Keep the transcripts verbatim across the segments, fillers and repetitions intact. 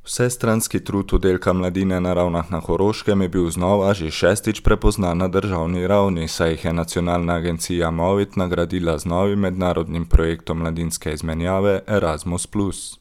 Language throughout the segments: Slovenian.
Vsestranski trud oddelka mladine na Ravnah na Koroškem je bil znova že šestič prepoznan na državni ravni, saj jih je nacionalna agencija Movit nagradila z novim mednarodnim projektom mladinske izmenjave Erasmus plus.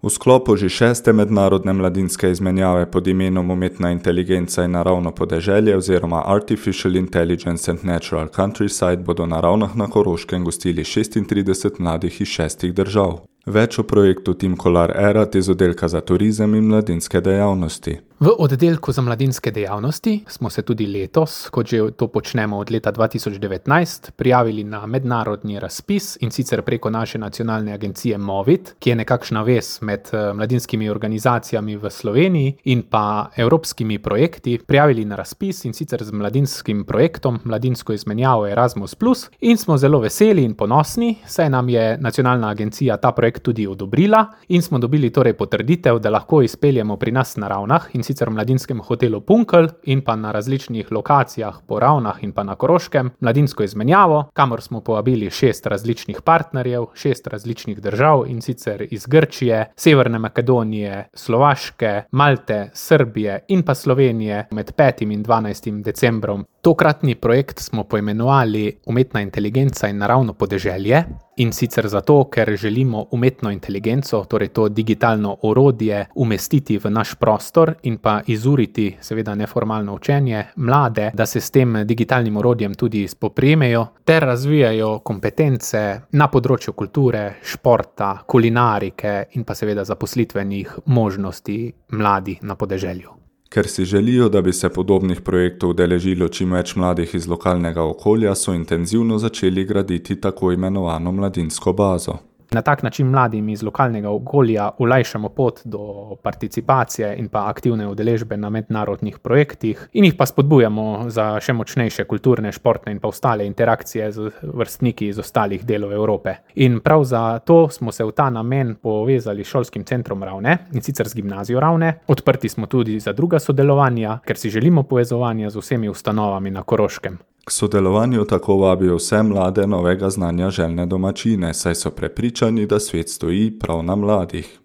V sklopu že šeste mednarodne mladinske izmenjave pod imenom Umetna inteligenca in naravno podeželje oziroma Artificial Intelligence and Natural Countryside bodo na Ravnah na Koroškem gostili šestintrideset mladih iz šestih držav. Več o projektu Team Kolar Erat iz oddelka za turizem in mladinske dejavnosti. V oddelku za mladinske dejavnosti smo se tudi letos, kot že to počnemo od leta dva tisoč devetnajst, prijavili na mednarodni razpis in sicer preko naše nacionalne agencije Movit, ki je nekakšna vez med mladinskimi organizacijami v Sloveniji in pa evropskimi projekti, prijavili na razpis in sicer z mladinskim projektom Mladinsko izmenjavo Erasmus plus in smo zelo veseli in ponosni, saj nam je nacionalna agencija ta projekt tudi odobrila in smo dobili torej potrditev, da lahko izpeljemo pri nas na Ravnah in sicer v mladinskem hotelu Punkelj in pa na različnih lokacijah po Ravnah in pa na Koroškem mladinsko izmenjavo, kamor smo povabili šest različnih partnerjev, šest različnih držav in sicer iz Grčije, Severne Makedonije, Slovaške, Malte, Srbije in pa Slovenije med petim in dvanajstim decembrom. Tokratni projekt smo poimenovali Umetna inteligenca in naravno podeželje in sicer zato, ker želimo umetno inteligenco, torej to digitalno orodje, umestiti v naš prostor in pa izuriti, seveda neformalno učenje, mlade, da se s tem digitalnim orodjem tudi spoprijemejo ter razvijajo kompetence na področju kulture, športa, kulinarike in pa seveda zaposlitvenih možnosti mladih na podeželju. Ker si želijo, da bi se podobnih projektov udeležilo čim več mladih iz lokalnega okolja, so intenzivno začeli graditi tako imenovano mladinsko bazo. Na tak način mladim iz lokalnega okolja olajšamo pot do participacije in pa aktivne udeležbe na mednarodnih projektih in jih pa spodbujamo za še močnejše kulturne, športne in pa ostale interakcije z vrstniki iz ostalih delov Evrope. In prav za to smo se v ta namen povezali s šolskim centrom Ravne in sicer z gimnazijo Ravne. Odprti smo tudi za druga sodelovanja, ker si želimo povezovanja z vsemi ustanovami na Koroškem. K sodelovanju tako vabijo vse mlade novega znanja željne domačine, saj so prepričani, da svet stoji prav na mladih.